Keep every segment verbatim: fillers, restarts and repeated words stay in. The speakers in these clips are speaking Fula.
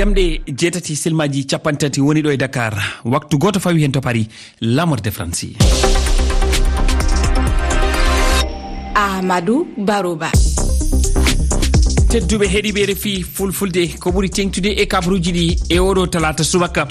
Jamɗe jeetati silmaaji capanɗe tati woni ɗo e Dakar. Waktu gooto fawi heen to Paris, La Mort de Franci. Amadou Baroba. Tedduɓe heɗiiɓe R F I Fulfulde, ko ɓuri teeŋtude e kabaruuji ɗi e oɗo talaata subaka.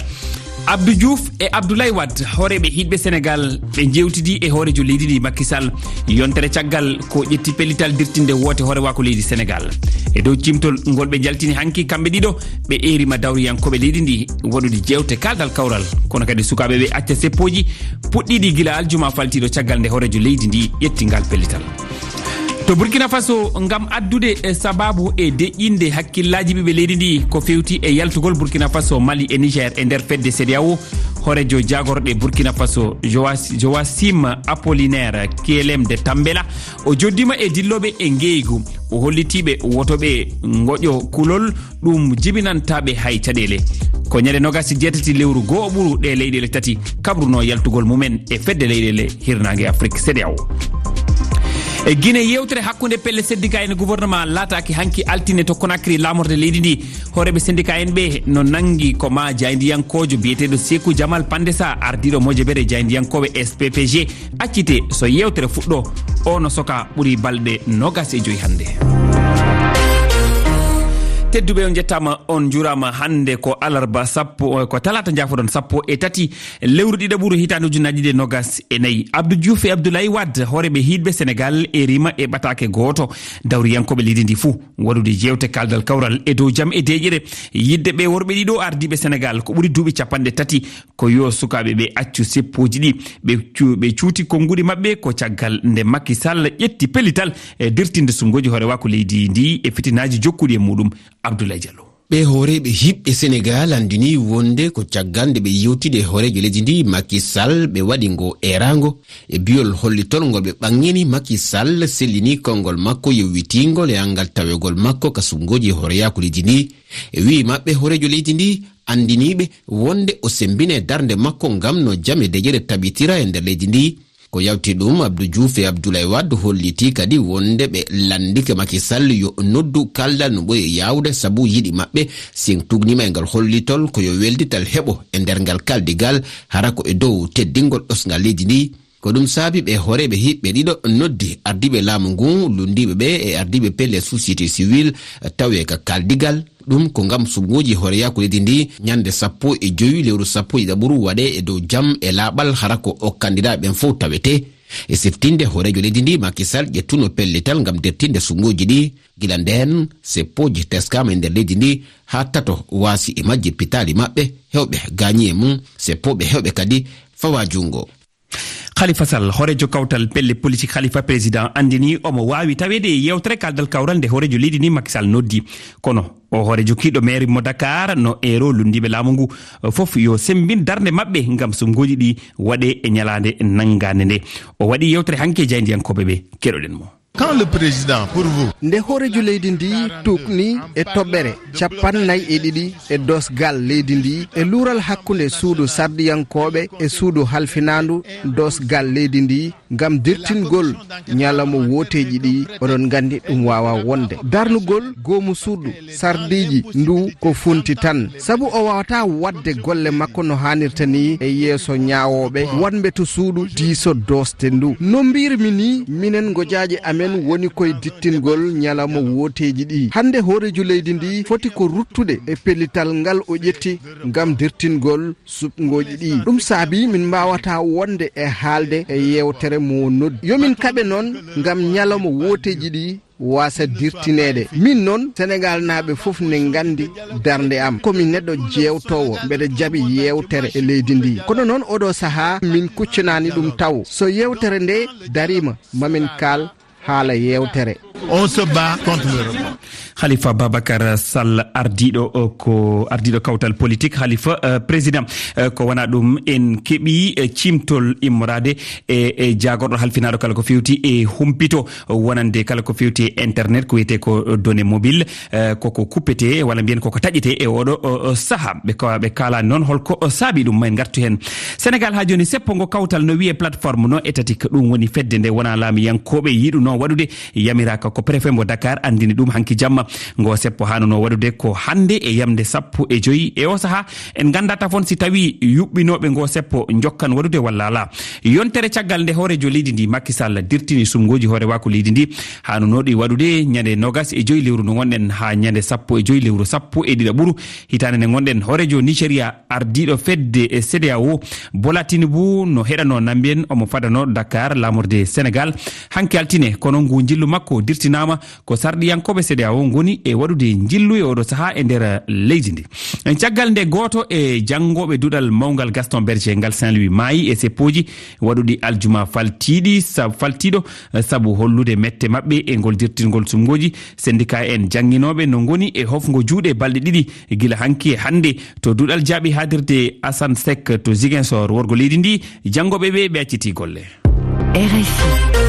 Abdou Diouf e Abdoulaye Wade, hooreeɓe hiɗɓe Senegal, ɓe njeewtidi e hooreejo leydi ndi Macky Sall. Yontere caggal ko ƴetti pellital dirtinde woote hoorewaaku leydi Senegal. E dow cimtol ngol ɓe njaltini hanki kamɓe ɗiɗo, ɓe eerima dawriyankooɓe leydi ndi waɗude jeewte kaaldal kawral. Kono kadi sukaaɓe ɓe acca seppooji puɗɗiiɗi gila aljuma faltiiɗo caggal nde hooreejo leydi ndi ƴetti ngal pellital. To Burkina Faso, ngam addude e sababu e deƴƴinde hakkillaaji ɓiɓɓe leydi ndi ko fewti e yaltugol Burkina Faso, Mali e Niger e nder fedde CEDEAO, hooreejo jaagorɗe Burkina Faso Joas-, Joasim Apollinaire Kielem de Tambela, o joddima e dillooɓe e ngeeygu. O hollitiiɓe woto ɓe ngoƴo kulol, ɗum jibinantaa ɓe hay caɗeele. Ko ñande nogas e jeetati lewru goo ɓuru ɗe leyɗeele tati kabruno yaltugol mumen e fedde leyɗeele hirnaange Afrik, CEDEAO. E Gine, yewtere hakkunde pelle syndicat en e gouvernement laataaki hanki altine to Conakry, laamorde leydi ndi. Hooreeɓe syndicat en ɓe no nangi ko ma jaayndiyankoojo biyeteeɗo Seeku Jamal Pandesa, ardiiɗo mojobere jaayndiyankooɓe S P P G, accite so yewtere fuɗɗo. O no soka ɓuri balɗe nogas e joy hannde. Tedduɓe, on njettaama, on njuuraama. Hannde ko alarba sappo, ko talaata, njaafoɗon, sappo e tati lewru ɗiɗaɓuru hitaande ujunnaji ɗiɗi e nogas e nayi. Abdou Diouf e Abdoulaye Wade, hooreeɓe hiɗɓe Senegal, erima e ɓataake gooto dawriyankooɓe leydi ndi fuu waɗude jeewte kaaldal kawral e dow jam e deeƴere. Yidde ɓe worɓe ɗiɗo ardiiɓe Senegal ko ɓuri duuɓi capanɗe tati ko yo sukaaɓe ɓe accu seppooji ɗi, ɓe cu-, ɓe cuuti konnguɗi maɓɓe ko caggal nde Macky Sall ƴetti pellital e dirtinde suɓngooji hoorewaaku leydi ndi e fitinaaji jokkuɗi e muɗum. Abdoulaye Diallo. Ɓe hooreeɓe hiɓɓe Senegal anndini wonde ko caggal nde ɓe yewtidi e hooreejo leydi ndi Macky Sall, ɓe waɗi ngo eeraango e biyol hollitol ngol ɓe ɓaŋŋini Macky Sall, sellini konngol makko yowitiingol e anngal tawegol makko ka suɓngooji hooreyaaku leydi ndi. E wi'i maɓɓe, hooreejo leydi ndi anndiniiɓe wonde o semmbine darnde makko ngam no jam e deƴƴere tabitira e nder leydi ndi. Ko yawti ɗum, Abdou Diouf e Abdoulaye Wade holliti kadi wonde ɓe lanndike Macky Sall yo noddu kaldal no ɓuri yaawde, sabu yiɗi maɓɓe, si en tugnima e ngal hollitol, ko yo weldital heɓo e nder ngal kaldigal, hara ko e dow teddingol ɗosngal leydi ndi. Ko ɗum saabi ɓe hooreeɓe hiɓɓe ɗiɗo noddi ardiiɓe laamu ngu, lunndiiɓe ɓe e ardiiɓe pelle société civile, tawe ka kaldigal. Ɗum ko ngam suɓngooji hooreyaaku leydi ndi ñande sappo e joy lewru sappo e ɗiɗaɓuru waɗe e dow jam e laaɓal, hara ko o kandidaaɓe ɓen fof tawete. E siftinde hooreejo leydi ndi Macky Sall ƴettuno pellital ngam dertinde suɓngooji ɗi. Gila ndeen, seppooji teskaama e nder leydi ndi haa tato waasi e majji pitaali maɓɓe, heewɓe gaañi e mum, seppooɓe heewɓe kadi fawa junngo. Khalifa Sall, hooreejo kawtal pelle politik Khalifa Président, anndini omo waawi taweede e yewtere kaaldal kawral nde hooreejo leydi ndi Macky Sall noddi. Kono o hooreejo kiiɗo maire mo Dakar no eero lunndiiɓe laamu ngu fof yo semmbin darnde maɓɓe ngam suɓngooji ɗi waɗe e ñalaande nanngaande nde. O waɗi yewtere hanki e jaayndiyankooɓe ɓe. Keɗoɗen mo. Quand le président, pour vous. Nde hooreejo leydi ndi tuugni e toɓɓere cappannayi e ɗiɗi e doosgal leydi ndi, e luural hakkunde suudu sardiyankooɓe e suudu halfinaandu doosgal leydi ndi, ngam dirtingol ñalawma wooteeji ɗi, oɗon nganndi ɗum waawaa wonde. Darnugol goomu suudu sardiiji ndu ko funti tan, sabu o waawataa waɗde golle makko no haanirta ni e yeeso ñaawooɓe wonɓe to suudu diiso doosde ndu. No mbiymi ni, minen ngojaaji amen woni koye dittingol ñalawma wooteeji ɗi. Hannde hooreejo leydi ndi foti ko ruttude e pellital ngal o ƴetti ngam dirtingol suɓngooji ɗi. Ɗum saabi min mbaawataa wonde e haalde e yeewtere mo noddi. Yo min kaɓe noon ngam ñalawma wooteeji ɗi waasa dirtineede. Min noon, Senegaalnaaɓe fof ne nganndi darnde am. Ko mi neɗɗo jeewtoowo, mbeɗa jaɓi yeewtere e leydi ndi. Kono noon, oɗo sahaa, min kuccanaani ɗum taw. So yeewtere nde dariima, mamin kaal haala yeewtere. On se bat contre le rebond. Khalifa Babacar Sall, ardiiɗo, o, ko ardiiɗo kawtal politik Khalifa, eh, Président. Eh, ko wona ɗum, en keɓi, eh, cimtol immoraade e, e jaagorɗo halfinaaɗo kala ko fewti e humpito wonande kala ko fewti e internet, ko wiyetee ko données mobile, eh, koko kuppetee walla mbiyen koko taƴetee e oɗo, o, o, saha. Ɓe ka-, ɓe kaalaani noon holko, o, saabi ɗum, ma en ngartu heen. Senegal haa jooni seppo ngo kawtal no wiyee plateforme no étatique, ɗum woni fedde nde wonaa laamiyankooɓe yiɗunoo waɗude, yamiraaka Ko préfet mo Dakar anndini ɗum hanki jamma. Ngo seppo haanunoo waɗude ko hannde e yamnde sappo e joy. E o sahaa, en nganndaa tafon si tawii yuɓɓinooɓe ngo seppo njokkan waɗude walla alaa. Yontere caggal nde hooreejo leydi ndi, Macky Sall, dirtini sumngooji hoorewaaku leydi ndi, haanunooɗi waɗude ñande noogas e joy lewru ndu ngonɗen haa ñande sappo e joy lewru sappo e ɗiɗaɓuru hitaande nde ngonɗen. Hooreejo Nigeria, ardiiɗo fedde e C E D E A O, Bola Tinubu, no heɗanoo Nambiyen, omo fadanoo Dakar, laamorde Senegal, hanki altine. Kono ngu njillu makko dirtinaama ko sarɗiyankooɓe C E D E A O ngoni e waɗude njillu e oɗo sahaa e nder leydi ndi. En caggal nde, gooto e janngooɓe duɗal mawngal Gaston Berger ngal Saint-Louis maayi e seppooji waɗuɗi aljuma faltiiɗi, sa-, faltiiɗo, eh, sabu hollude mette maɓɓe e ngol dirtingol sumngooji. Sendika en jannginooɓe no ngoni e hofngo juuɗe balɗe ɗiɗi gila hanki e hannde to duɗal jaaɓi haaɗirde Assane Seck to Ziguinchor, worgo leydi ndi. Janngooɓe ɓe, ɓe accitii golle. R F I.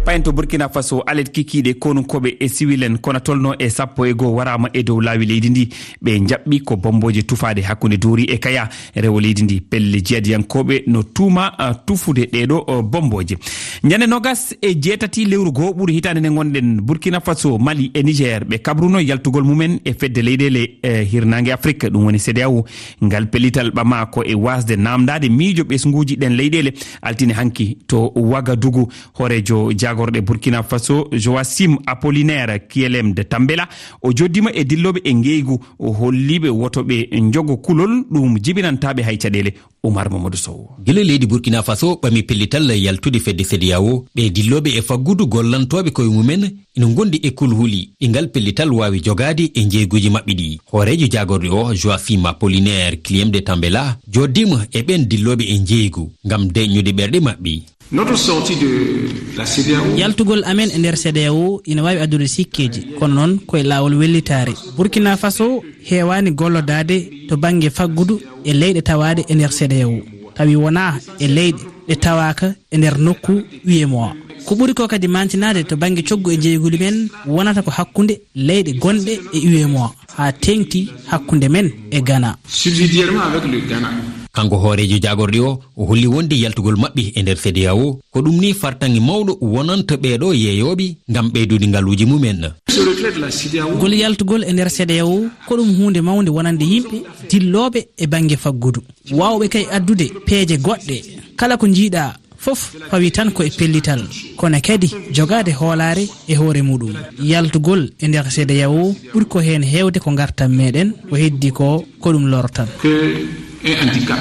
Payen to Burkina Faso, alet kikiiɗe, konunkooɓe e siwil en kona tolno e sappo e goo waraama e dow laawi leydi ndi. Ɓe njaɓɓi ko bommbooje tufaaɗe hakkunde Dori e Kaya, rewo leydi ndi. Pelle jihadiyankooɓe no tuuma, ah, tufude ɗeeɗo, oh, bommbooje. Ñande noogas e jeetati lewru goo ɓuru hitaande nde ngonɗen, Burkina Faso, Mali e Niger, ɓe kabruno yaltugol mumen e fedde leyɗeele, eh, hirnaange Afrik, ɗum woni C E D E A O. Ngal pellital ɓamaa ko e waasde naamndaade miijo ɓesnguuji ɗen leyɗeele altine hanki to Wagadugu. Hooreejo jaagorɗe Burkina Faso, Joachim Apollinaire Kyelem de Tambela, o joddiima e dillooɓe e ngeygu, o holliiɓe woto ɓe njogo kulol, ɗum jibinantaa ɓe hay caɗeele. Oumar Mamadou Sow. Gila leydi Burkina Faso ɓami pellital yaltude fedde C E D E A O, ɓe dillooɓe e faggudu gollantooɓe koye mumen ina ngondi e kulhuli ɗi ngal pellital waawi jogaade e njeeyguuji maɓɓe ɗi. Hooreejo jaagorɗe o, Joachim Apollinaire Kyelem de Tambela, joddiima e ɓeen dillooɓe e njeeygu ngam deeƴnude ɓerɗe maɓɓe. Notre sortie de la C E D E A O. Yaltugol amen e nder C E D E A O ina waawi addude sikkeeji, kono noon ko e laawol wellitaare. Burkina Faso heewaani gollodaade to bannge faggudu e leyɗe tawaaɗe e nder C E D E A O, tawi wonaa e leyɗe ɗe tawaaka e nder nokku U E M O A. Ko ɓuri ko kadi maantinaade to bannge coggu e njeeyguuli men wonata ko hakkunde leyɗe gonɗe e U E M O A, haa teeŋti hakkunde men e Ghana. Subsidiairement avec le Ghana. Kanko hooreejo jaagorɗe o, o holli wonde yaltugol maɓɓe e nder C E D E A O, ko ɗum ni fartaŋŋe mawɗo wonanta ɓeeɗo yeeyooɓe ngam ɓeydude ngaluuji mumen. Ce retrait de la C E D E A O. Ngol yaltugol e nder C E D E A O, ko ɗum huunde mawnde wonande yimɓe dillooɓe e bannge faggudu. Waawɓe kay addude peeje goɗɗe. Kala ko njiiɗaa fof fawi tan ko e pellital, kono kadi jogaade hoolaare e hoore muɗum. Yaltugol e nder C E D E A O ɓuri ko heen heewde ko ngartam meɗen, ko heddi ko, ko ɗum lortan. Que un handicap.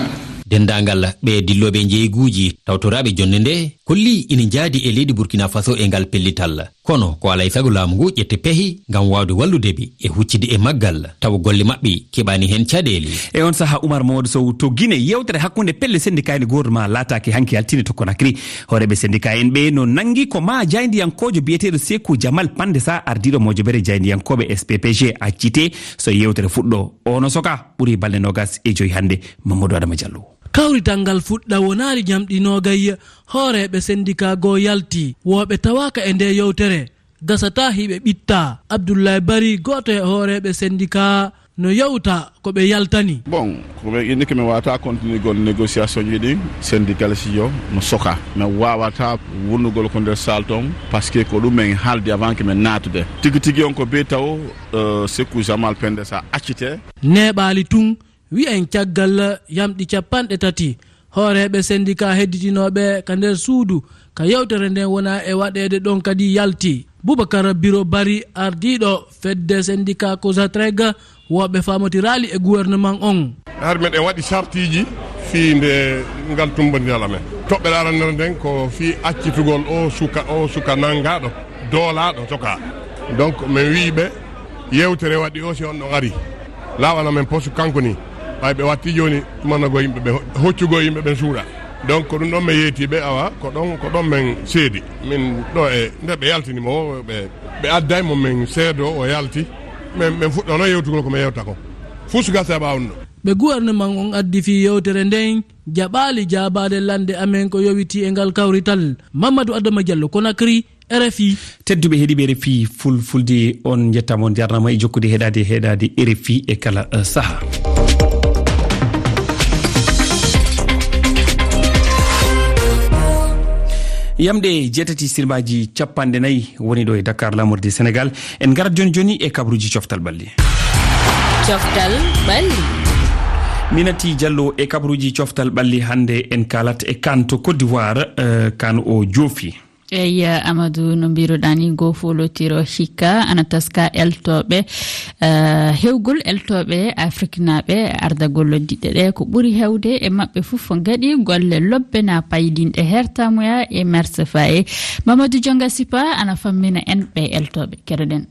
Denndaangal ɓe dillooɓe njeeyguuji tawtoraaɓe jonnde nde kolli ina njaadi e leydi Burkina Faso e ngal pellital. Kono ko alaa e sago laamu ngu ƴetta pehi ngam waawde wallude ɓe e huccitde e maggal, tawa golle maɓɓe keɓaani heen caɗeele. E on sahaa, Oumar Mamadou Sow, to Guinée, yeewtere hakkunde pelle sendikaaji e gouvernement laataaki hanki altine to Conakry. Hooreeɓe sendikaa en ɓe no nanngi ko maa jaayndiyankoojo biyeteeɗo Seeku Jamal Pandesa, ardiiɗo mojobere jaayndiyankooɓe S P P G, accitee so yeewtere fuɗɗoo. O no sokaa, ɓuri balɗe noogas e joy hannde. Mamadou Adama Diallo. Kawrital ngal fuɗɗa wonaali ñamɗi noogay, hooreeɓe sendikaa goo yalti, wooɓe tawaaka e nde yeewtere. Gasataa hiɓe ɓittaa. Abdoulaye Bari, gooto e hooreeɓe sendikaa, no yewta ko ɓe yaltani. Bon, ko ɓe inni ko mi waawata continuer gol négociation ji ɗin, syndicaliste yo no soka. Mi waawata wonnugol ko nder salle ton, parce que ko ɗum en haaldi avant que min naatude. Tigi tigi on ko be taw, euh, Sekou Jamal Pendesa accite. Neeɓaali tun, wi'en caggal yamɗi capanɗe tati, hooreeɓe sendikaa hedditinooɓe ka nder suudu ka yewtere nden wona e waɗeede ɗon kadi yalti. Boubacar Biro Bari, ardiiɗo fedde sendikaa Cosatreg, wooɓe faamotiraali e gouvernement on. Hari meɗen waɗi sartiiji fii nde ngal tummbondiral amen. Toɓɓere arannere nden ko fii accitugol o suka, o suka nanngaaɗo, doolaaɗo, sokaa. Donc, min wi'i ɓe, yewtere waɗi o, si on ɗon ari, laaɓana men poste kanko ni. Ɓay ɓe watti jooni, tumanagol yimɓe ɓe, ho-, hoccugol yimɓe ɓen suuɗa. Donc, ko ɗum ɗon min yeeti ɓe, awa, ko ɗon, ko ɗon min seedi. Min ɗo e, nde ɓe yaltini mo, ɓe, ɓe adday mo min seedo, o yalti. Min, min fuɗɗono yewtugol ko min yewta kon. Fuu suka seeɓa on ɗo. Ɓe gouvernement on addi fii yewtere nden, jaɓaali jaabaade lande amen ko yowitii e ngal kawrital. Mamadou Adama Diallo, Conakry, R F I. Tedduɓe heɗiiɓe R F I Fulfulde, on njettaama, on njarnaama e jokkude heɗaade, heɗaade R F I e kala, eh, saha. Yamɗe jeetati sirmaaji capanɗe nayi woni ɗo e Dakar, laamorde Senegal. En ngarat jooni jooni e kabaruuji coftal ɓalli. Coftal ɓalli. Minati Diallo e kabaruuji coftal ɓalli hannde en kaalat e kan to Côte d'Ivoire, eh, kan o joofi. Eyi, Amadou, no mbiruɗaa ni, ngo foolotiro hikka ana taska eltooɓe, eh, hewgol eltooɓe afriknaaɓe ardagol diɗɗe ɗe. Ko ɓuri hewde e maɓɓe fof ngaɗi golle lobbe na paydinɗe hertamuya e Merse Faye. Mamadou Jonga Sipa ana fammina en ɓe eltooɓe. Keɗoɗen.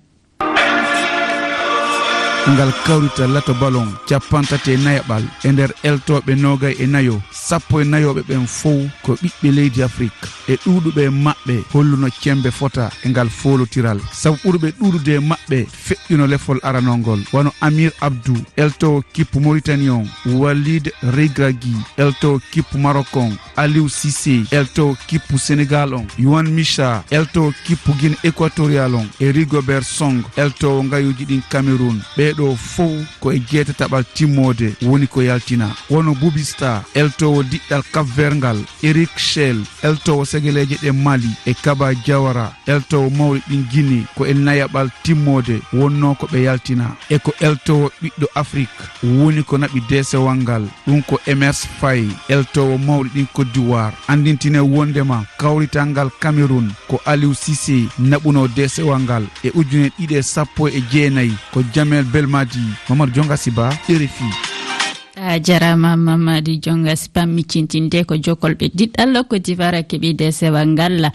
Ngal kawrita lato ballon cappanɗe tati e nayaɓal e nder eltooɓe noogay e nayo, sappo e nayooɓe ɓen fow ko ɓiɓɓe leydi Afrik. E ɗuuɗuɓe e maɓɓe holluno cembe fota e ngal foolotiral. Sabu ɓurɓe ɗuuɗude e maɓɓe feƴƴuno lefol aranol ngol, wano Amir Abdou, eltoowo kippu Mauritanie on, Walid Regragui, eltoowo kippu Maroc on, Aliou Cissé, eltoowo kippu Senegal on, Yohan Michat, eltoowo kippu Guinée Équatoriale on, e Rigobert Song, eltoowo ngayuuji ɗin Cameroun. Ɓee ɗoo fow ko e jeetataɓal timmoode woni ko yaltinaa. Wano Bubista, eltoowo diɗɗal Cap Vert ngal, Eric Chelle, eltoowo segeleeje ɗe Mali, e Kaba Diawara, eltoowo mawɗi ɗin Guinée, ko e nayaɓal timmoode wonnoo ko ɓe yaltinaa. E ko eltoowo ɓiɗɗo Afrik woni ko naɓi deesewal ngal, ɗum ko Emers Faye, eltoowo mawɗi ɗin Côte d'Ivoire. Anndintine wonndema kawrital ngal Cameroun ko Aliou Cissé naɓunoo deesewal ngal. E ujune ɗiɗi e sappo e jeenayi ko Jamel Belmadi. Mamadou Jonga Siba, R F I. A jarama, Mamadi Jonga Sipa. Miccintinde ko jokolɓe diɗɗal Côte d'Ivoire keɓi deesewal ngal.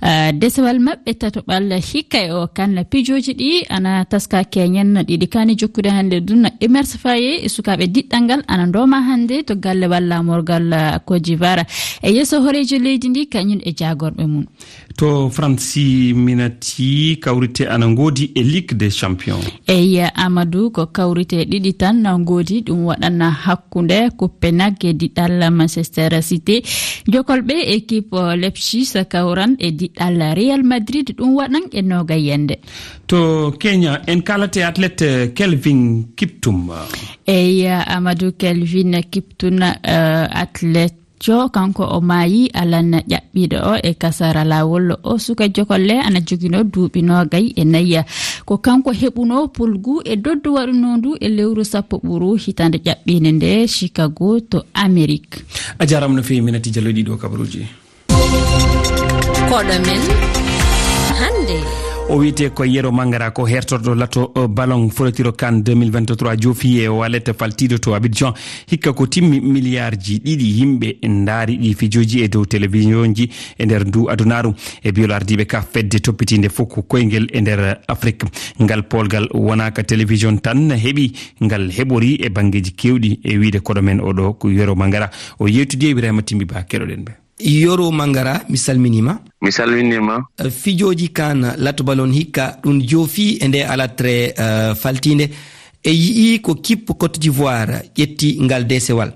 Ah, deesewal maɓɓe tatoɓal hikka e o kan pijooji ɗi ana taska keñen ɗiɗi kani jokkude hannde ɗum. Emers Faye e sukaaɓe diɗɗal ngal ana ndooma hannde to galle walla morgal, ah, Côte d'Ivoire. E yeeso horeejo leydi ndi kañum e jaagorɓe mum. To Fransi, minati kawrite ana ngoodi e Ligue des Champions. Eyi, Amadou, ko kawrite ɗiɗi tan na ngoodi. Ɗum waɗana hakkunde Copenhague e diɗɗal Manchester City. Jokolɓe équipe Leipzig kawran e diɗɗal Real Madrid. Ɗum waɗan e noga yende. To Kenya, en kaalate athlète Kelvin Kiptum. Eyi, Amadou, Kelvin Kiptum, eh, athlète jo, kanko o maayi alan ƴaɓɓiiɗo o e kasara laawol. O suka jokolle ana joginoo duuɓi noogay e nayi. Ko kanko heɓunoo pulgu e doddu waɗunoo ndu e lewru sappo ɓuru hitaande ƴaɓɓiinde nde Chicago to Amerik. A jaaraama no feewi, Minati Jallo, ɗiɗo kabaruuji. Koɗo men hannde. O wiyetee ko Yero Mangara, ko hertorɗo lato, eh, ballon foolotiro kan deux mille vingt-trois, joofi e wallet faltiiɗo to Abidjan. Hikka ko timmi miliyaarji ɗiɗi yimɓe ndaari ɗi fijooji e dow televisionji e nder ndu adunaaru. E biyol ardiiɓe ka fedde toppitiinde fof ko koyngel e nder Afrik. Ngal polgal wonaa ka television tan heɓi, ngal heɓori e banngeeji keewɗi. E wiyde koɗo men oɗo ko Yero Mangara. O yeewtidi e Ibrahima Timbi Ba, keɗoɗen ɓe. Yoro Mangara, mi salminiima. Mi salminiima. Eh, fijooji kan lato ballon hikka ɗum joofi e nde alatre, eh, faltiinde. E yi'i ko kippu Côte d'Ivoire ƴetti ngal deesewal.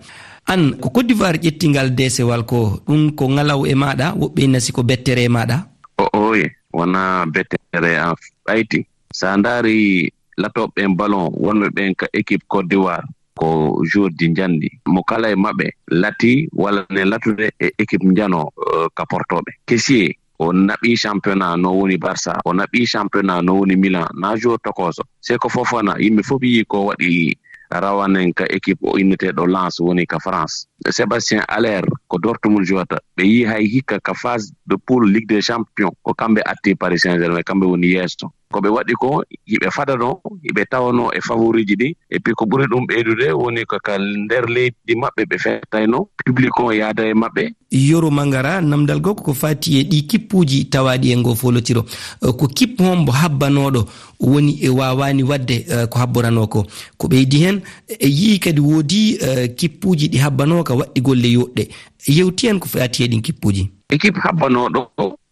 An, ko Côte d'Ivoire ƴetti ngal deesewal ko, ɗum ko ngalaw e maaɗa, woɓɓe ina si ko bettere e maaɗa? O, oye, wonaa bettere an ɓayti. So a ndaari latooɓe ɓen ballon, wonɓe ɓen ka équipe Côte d'Ivoire, ko joueur ji njanɗi. Mo kala e maɓɓe lati walla ne latude e équipe njano, eh, ka portooɓe. Kessié, o naɓi championnat no woni Barça, o naɓi championnat no woni Milan, na joueur tokoso. Seko Fofana, yimɓe fof yii ko waɗi rawanen ka équipe o inneteeɗo Lens woni ka France. Sébastien Haller ko Dortmund jouata. Ɓe yii hay hikka ka phase de poule Ligue des Champions, ko kamɓe atti Paris Saint-Germain, kamɓe woni yeeso. Ko ɓe waɗi ko, hiɓe fadano, hiɓe tawano e favoriiji ɗi. Et puis ko ɓuri ɗum ɓeydude woni ko ka nder leydi maɓɓe ɓe fettayno, public o yaada e maɓɓe. Yoro Mangara, namdal goo ko faati e ɗi kippuuji tawaaɗi e ngoo foolotiro. Eh, ko kippu hombo habbanooɗo woni e waawaani waɗde, eh, ko habboranoo ko? Ko ɓeydi heen, e yii kadi woodi, eh, kippuuji ɗi habbanoo ka waɗɗi golle yooɗɗe. Yewti en ko faati e ɗin kippuuji. Équipe habbanooɗo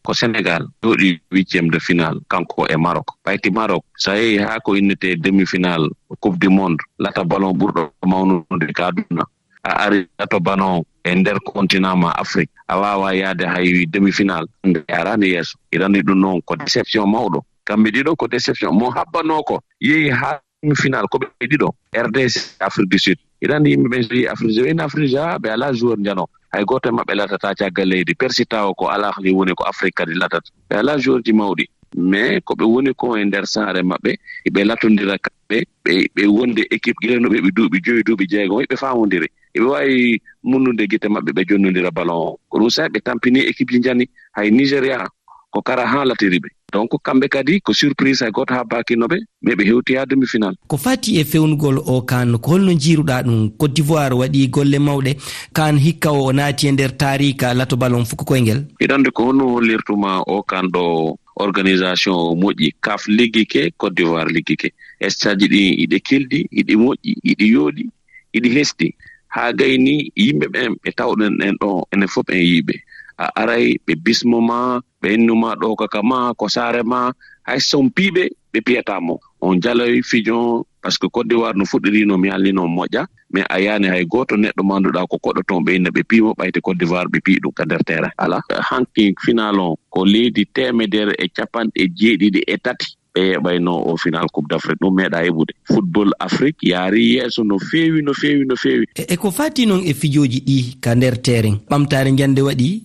ko Sénégal, jooɗi huitième de finale, kanko e Maroc. Ɓayti Maroc, so a yehi haa ko innetee demi-finale Coupe du Monde, lata ballon ɓurɗo mawnude ka aduna, a ari lato ballon e nder continent ma Afrique, a waawaa yaade hay demi-finale, nde a araani yeeso. Hiɗa anndi ɗum noon ko déception mawɗo. Kamɓe ɗiɗo ko déception. Mo habbanoo ko, yehi haa demi-finale, ko ɓe ɗiɗo, R D C, Afrique du Sud. Hiɗa anndi yimɓe ɓen so yehi Afrique du Sud, ɓe alaa joueur njano. Hay gooto e maɓɓe latata caggal leydi. Persi tawa ko alahli woni ko Afrik kadi latata. Ɓe alaa joueur ji mawɗi. Mais ko ɓe woni ko e nder saare maɓɓe, ɓe latondira kamɓe, ɓe, ɓe wonde équipe gila no ɓe, ɓe duuɓi joyi, duuɓi jeegom, ɓe faamondiri. Ɓe waawi munnude gite maɓɓe, ɓe jonnondira ballon o. Ko ɗum sa'i ɓe tampini équipe ji njani, hay Nigeria ko kara haa latiri ɓe. Donc kamɓe kadi ko surprise hay gooto habbaakino ɓe, mais ɓe hewti haa demi-finale. Ko fati e fewnugol o kan, ko holno njiiruɗaa ɗum? Côte d'Ivoire waɗi golle mawɗe, kan hikka o naati e nder taarika lato ballon fuku koyngel. Hiɗa anndi ko honno hollirtuma o kan ɗo organisation o moƴƴi, kaf liggike, Côte d'Ivoire liggike. Stade ji ɗi iɗi keldi, iɗi moƴƴi, iɗi yooɗi, iɗi hesɗi. Haa gayni yimɓe ɓen ɓe tawɗen en ɗo, enen fof en yiiɓe. A aray ɓe bismo ma, ɓe innu ma ɗo kaka ma, ko saare ma, hay so on piiɓe, ɓe piyata mo. On jaloy fijo, parce que Côte d'Ivoire no fuɗɗiri no mi halli no moƴƴa, mais a yaani hay gooto neɗɗo manduɗa ko koɗo toon ɓe inna ɓe piimo ɓayti Côte d'Ivoire ɓe pii ɗum ka nder terrain. Ala, hanki final on ko leydi teemedere e capanɗe jeeɗiɗi e tati ɓe yeɓayno o final Coupe d'Afrique, ɗum meeɗa heɓude. Football Afrique yaari yeeso no feewi, no feewi, no feewi. E, e ko fati noon e fijooji ɗi ka nder terrain, ɓamtaare njande waɗi?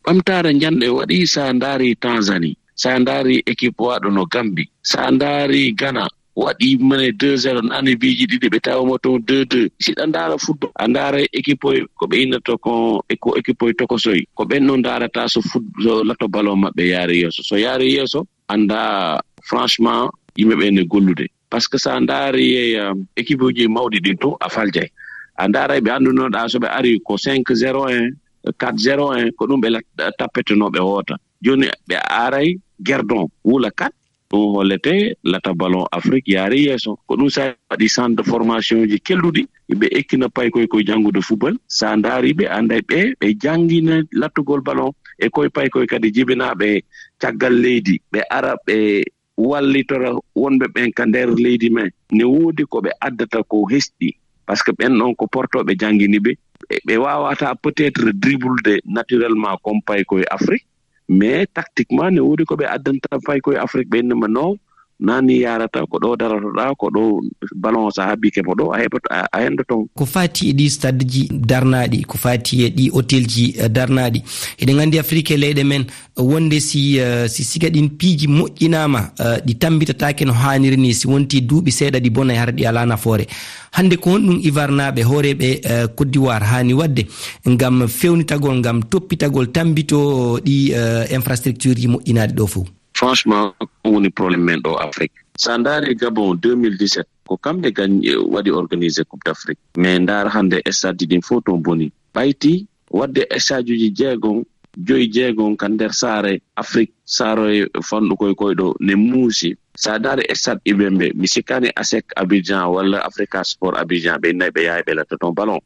Ɓamtaare njande waɗi, sa ndaari Tanzanie, sa ndaari équipe waɗo no Gambie, sa ndaari Ghana, waɗi mene deux zéro, nani biiji ɗiɗi ɓe tawa mo toon deux deux. Si ɗa ndaara football, a ndaara équipe oy ko ɓe innata ko, e ko équipe oy tokosoy. Ko ɓen noon ndaarata so foot-, so lato ballon maɓɓe yaari yeeso. So yaari yeeso, annda franchement yimɓe ɓe ne gollude. Parce que sa ndaari e, um, équipe uji mawɗi ɗin to a faljay. A ndaara ɓe anndunoɗa so ɓe ari ko cinq zéro en, quatre zéro en, ko ɗum ɓe lat-, tappetenoɓe hoota. Jooni ɓe aray gerdon, wula quatre, ɗum hollete lata ballon Afrique yaari yeeso. Ko ɗum sa waɗi centre de formation ji kelɗuɗi, ɓe ekkina paykoy koye janngude football. Sa ndaari ɓe, anday ɓe, ɓe janngina lattugol ballon e koye paykoy kadi jibinaaɓe caggal leydi. Ɓe ara ɓe wallitora wonɓe ɓen ka nder leydi men. Ne woodi ko ɓe addata ko hesɗi, parce que ɓen ɗon ko portooɓe janngini ɓe. Ɓe, ɓe waawata peut-être dribble de naturellement comme paykoy Afrique, mais tactiquement ne woodi ko ɓe addanta paykoy Afrique, ɓe innama non, nani yarata, ko ɗo daratoɗa, ko ɗo ballon sa habbi ke mo ɗo, a heɓoto, a, a hendoto. Ko fati e ɗi stade ji darnaɗi, ko fati e ɗi hôtel ji, eh, darnaɗi. Eɗen anndi Afrique e leyɗe men, wonde si, eh, si siga ɗin piiji moƴƴinaama, eh, ɗi tambitataake no haaniri ni, si wonti duuɓi seeɗa ɗi bona e hara ɗi alaa nafoore. Hannde ko honɗum ivarnaaɓe hooreeɓe, eh, Côte d'Ivoire haani waɗde ngam fewnitagol, ngam toppitagol, tambito ɗi, eh, infrastructure ji moƴƴinaaɗi ɗo fof? Franchement, ko woni problème men ɗo Afrique. Sa ndaari Gabon deux mille dix-sept, ko kamɓe gañ-, eh, waɗi organisé Coupe d'Afrique. Mais ndaar hannde stade ji ɗin fof toon boni. Ɓayti waɗde stade uji jeegom, joyi jeegom ka nder saare Afrique, saare fanɗu koye koye ɗo ne muusi. Sa ndaari stade Ibembe, mi sikkaani ASEC Abidjan walla Africa Sport Abidjan, ɓe nayi ɓe yahay ɓe latta toon ballon,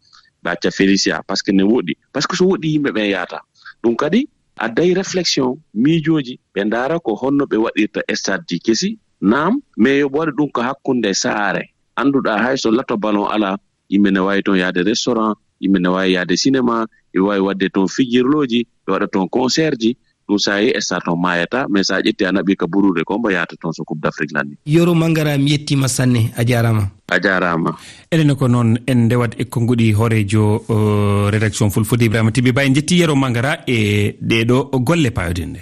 ɓe acca Felicia, parce que ne woɗɗi. Parce que so woɗɗi yimɓe ɓen yahata. Ɗum kadi adday réflexion, miijooji, ɓe ndaara ko honno ɓe waɗirta stade ji kesi, naam, mais yo ɓe waɗa ɗum ko hakkunde saare. Annduɗaa hay so lato ballon alaa, yimɓe ne waawi toon yahde restaurant, yimɓe ne waawi yahde cinéma, ɓe waawi waɗde toon fijirlooji, ɓe waɗa toon concert ji. Ɗum sa yehi stade toon maayata, mais sa ƴetti a naɓi ka buruure ko mbo yahata toon so Coupe d'Afrique lanni. Yoro Mangara, mi yettima sanne, a jarama. A jarama. Enen ko noon en ndewat e konnguɗi hooreejo, o, rédaction Fulfulde Ibrahima Tibi Ba. En jetti Yero Mangara e ɗeɗo golle paayoɗen ɗe.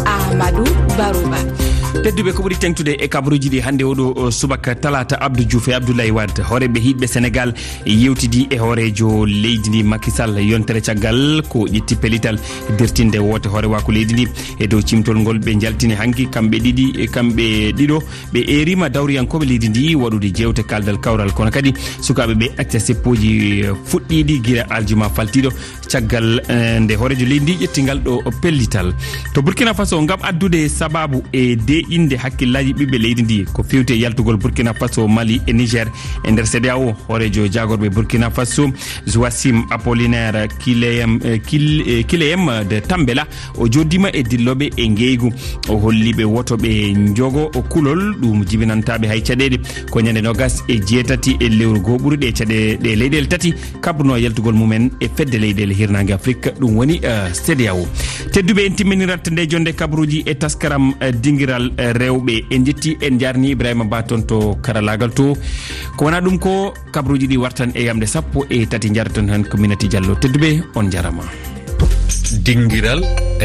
Amadou Barouba. Tedduɓe, ko ɓuri teŋtude e kabaruuji ɗi hannde oɗo, o, subaka talaata, Abdou Diouf e Abdoulaye Wade, hooreeɓe hiiɗɓe Senegal, yewtidi e hooreejo leydi ndi Macky Sall yontere caggal ko ƴetti pellital dirtinde woote hoorewaaku leydi ndi. E dow cimtol ngol ɓe njaltini hanki kamɓe ɗiɗi, e kamɓe ɗiɗo ɓe eerima dawriyankooɓe leydi ndi waɗude jeewte kaldal kawral, kono kadi sukaaɓe ɓe acca seppooji, eh, fuɗɗiiɗi gila aljuma faltiiɗo, caggal, eh, nde hooreejo leydi ndi ƴetti ngal ɗo pellital. To Burkina Faso, ngam addude sababu e deeƴinde hakkillaaji ɓiɓɓe leydi ndi ko fewti e yaltugol Burkina Faso, Mali e Niger e nder CEDEAO, hooreejo jaagorɓe Burkina Faso, Joachim Apollinaire Kileyem, eh, Kil-, eh, Kileyem de Tambela, o jooɗiima e dillooɓe e ngeygu. O holli ɓe woto ɓe njogo o kulol, ɗum jibinantaa ɓe hay caɗeele. Ko ñande noogas e jeetati e lewru goo ɓuruɗe e caɗeele ɗe leyɗeele tati kabrunoo yaltugol mumen e fedde leyɗeele hirnaange Afrik, ɗum woni, eh, CEDEAO. Tedduɓe, en timminirat nde jonnde kabaruuji e taskaram, eh, dingiral, rewɓe. En njetti, en njarni Ibrahima Ba toon to karalaagal to. Ko wonaa ɗum ko kabruuji ɗi wartan e yamde sappo e tati, njaratan heen ko Minati Diallo. Tedduɓe, on njarama. Dingiral.